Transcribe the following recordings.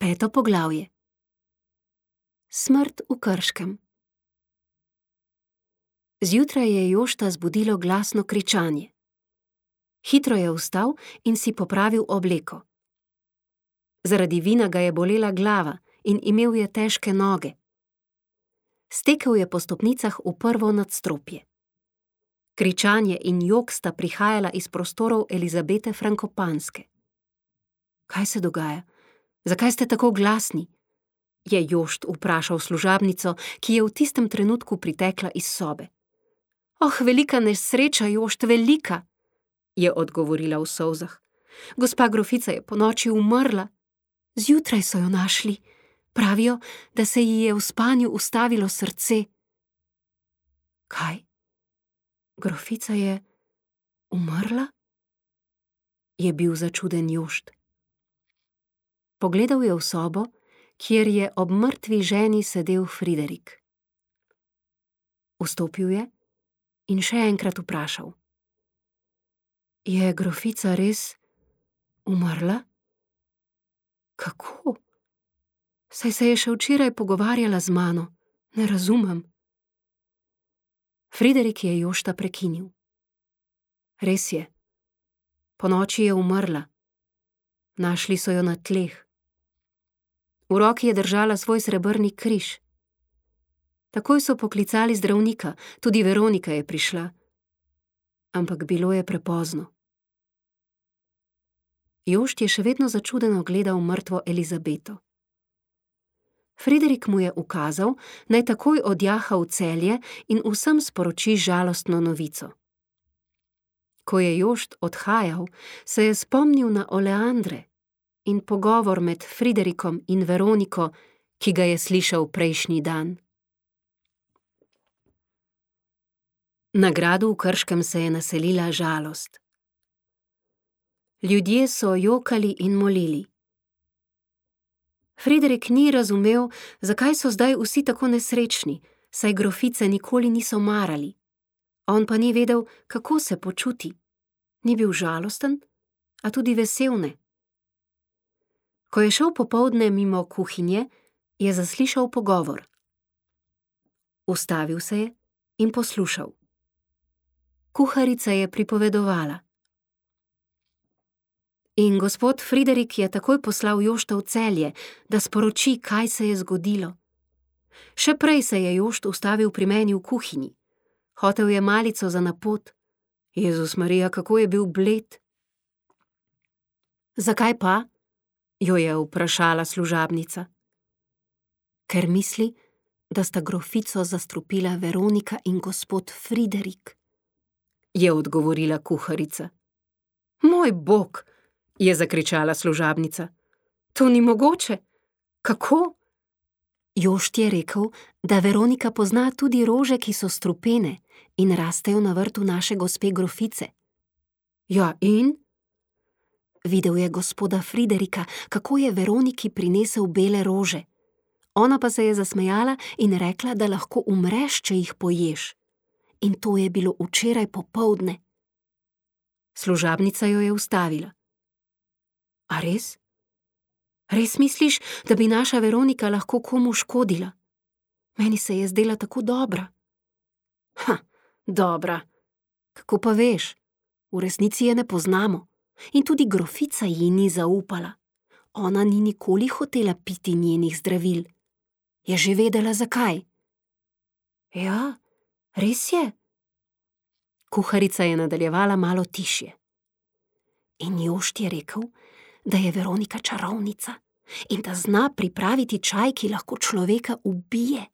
5. poglavje. Smrt v Krškem. Zjutraj je Jošta zbudilo glasno kričanje. Hitro je vstal in si popravil obleko. Zaradi vina ga je bolela glava in imel je težke noge. Stekel je po stopnicah v prvo nadstropje. Kričanje in jok sta prihajala iz prostorov Elizabete Frankopanske. Kaj se dogaja? Zakaj ste tako glasni? Je Jošt vprašal služabnico, ki je v tistem trenutku pritekla iz sobe. Oh, velika nesreča, Jošt, velika, je odgovorila v solzah. Gospa grofica je ponoči umrla. Zjutraj so jo našli. Pravijo, da se ji je v spanju ustavilo srce. Kaj? Grofica je umrla? Je bil začuden Jošt. Pogledal je v sobo, kjer je ob mrtvi ženi sedel Friderik. Vstopil je in še enkrat vprašal. Je grofica res umrla? Kako? Saj se je še včeraj pogovarjala z mano. Ne razumem. Friderik je Jošta prekinil. Res je. Ponoči je umrla. Našli so jo na tleh. V roki je držala svoj srebrni križ. Takoj so poklicali zdravnika, tudi Veronika je prišla. Ampak bilo je prepozno. Jošt je še vedno začudeno gledal mrtvo Elizabeto. Friderik mu je ukazal, naj takoj odjaha v Celje in vsem sporoči žalostno novico. Ko je Jošt odhajal, se je spomnil na oleandre in pogovor med Friderikom in Veroniko, ki ga je slišal prejšnji dan. Na gradu v Krškem se je naselila žalost. Ljudje so jokali in molili. Friderik ni razumel, zakaj so zdaj vsi tako nesrečni, saj grofice nikoli niso marali. On pa ni vedel, kako se počuti. Ni bil žalosten, a tudi vesel ne. Ko je šel popoldne mimo kuhinje, je zaslišal pogovor. Ustavil se je in poslušal. Kuharica je pripovedovala. In gospod Friderik je takoj poslal Jošta v Celje, da sporoči, kaj se je zgodilo. Še prej se je Jošt ustavil pri meni v kuhinji. Hotel je malico za na pot. Jezus Marija, kako je bil bled. Zakaj pa? Jo je vprašala služabnica. Ker misli, da sta grofico zastrupila Veronika in gospod Friderik, je odgovorila kuharica. Moj bog, je zakričala služabnica. To ni mogoče. Kako? Jošt je rekel, da Veronika pozna tudi rože, ki so strupene in rastejo na vrtu naše gospe grofice. Ja, in? Videl je gospoda Friderika, kako je Veroniki prinesel bele rože. Ona pa se je zasmejala in rekla, da lahko umreš, če jih poješ. In to je bilo včeraj popoldne. Služabnica jo je ustavila. A res? Res misliš, da bi naša Veronika lahko komu škodila? Meni se je zdela tako dobra. Dobra. Kako pa veš? V resnici je ne poznamo. In tudi grofica ji ni zaupala. Ona ni nikoli hotela piti njenih zdravil. Je že vedela, zakaj? Ja, res je. Kuharica je nadaljevala malo tišje. In Jošt je rekel, da je Veronika čarovnica in da zna pripraviti čaj, ki lahko človeka ubije.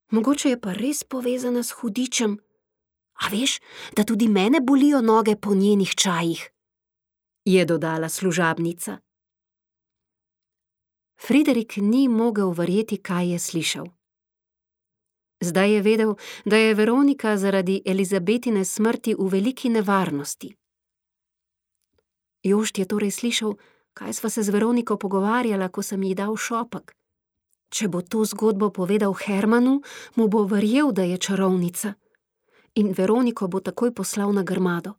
Mogoče je pa res povezana s hudičem. A veš, da tudi mene bolijo noge po njenih čajih, je dodala služabnica. Friderik ni mogel verjeti, kaj je slišal. Zdaj je vedel, da je Veronika zaradi Elizabetine smrti v veliki nevarnosti. Jošt je torej slišal, kaj sva se z Veroniko pogovarjala, ko sem ji dal šopek. Če bo to zgodbo povedal Hermanu, mu bo verjel, da je čarovnica. In Veroniko bo takoj poslal na grmado.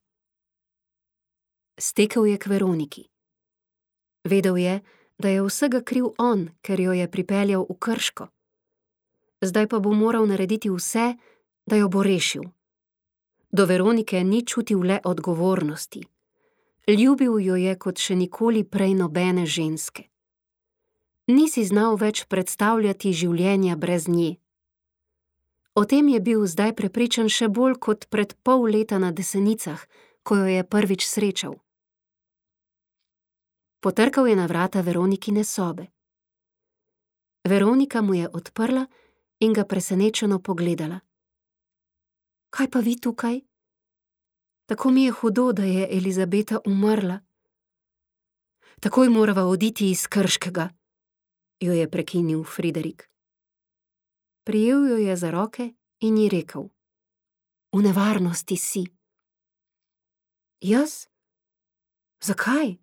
Stekel je k Veroniki. Vedel je, da je vsega kriv on, ker jo je pripeljal v Krško. Zdaj pa bo moral narediti vse, da jo bo rešil. Do Veronike ni čutil le odgovornosti. Ljubil jo je kot še nikoli prej nobene ženske. Ni si znal več predstavljati življenja brez nje. O tem je bil zdaj prepričan še bolj kot pred pol leta na Desenicah, ko jo je prvič srečal. Potrkal je na vrata Veronikine sobe. Veronika mu je odprla in ga presenečeno pogledala. Kaj pa vi tukaj? Tako mi je hudo, da je Elizabeta umrla. Takoj morava oditi iz Krškega, jo je prekinil Friderik. Prijel jo je za roke in ji rekel: V nevarnosti si. Jaz? Zakaj?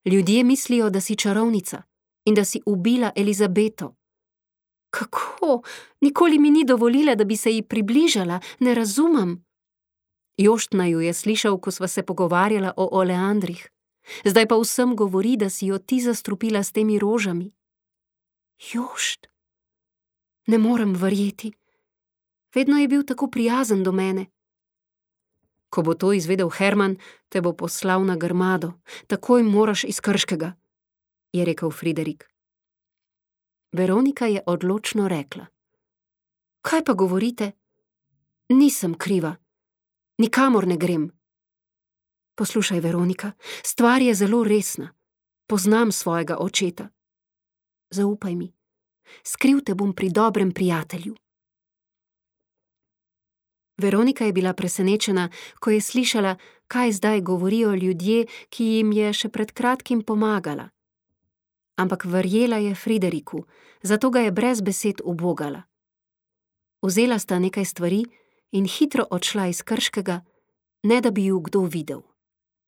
Ljudje mislijo, da si čarovnica in da si ubila Elizabeto. Kako? Nikoli mi ni dovolila, da bi se ji približala, ne razumem. Jošt naju je slišal, ko sva se pogovarjala o oleandrih. Zdaj pa vsem govori, da si jo ti zastrupila s temi rožami. Jošt? Ne morem verjeti. Vedno je bil tako prijazen do mene. Ko bo to izvedel Herman, te bo poslal na grmado. Takoj moraš iz Krškega, je rekel Friderik. Veronika je odločno rekla: Kaj pa govorite? Nisem kriva. Nikamor ne grem. Poslušaj, Veronika, stvar je zelo resna. Poznam svojega očeta. Zaupaj mi. Skriv te bom pri dobrem prijatelju. Veronika je bila presenečena, ko je slišala, kaj zdaj govorijo ljudje, ki jim je še pred kratkim pomagala. Ampak verjela je Frideriku, zato ga je brez besed ubogala. Vzela sta nekaj stvari in hitro odšla iz Krškega, ne da bi ju kdo videl.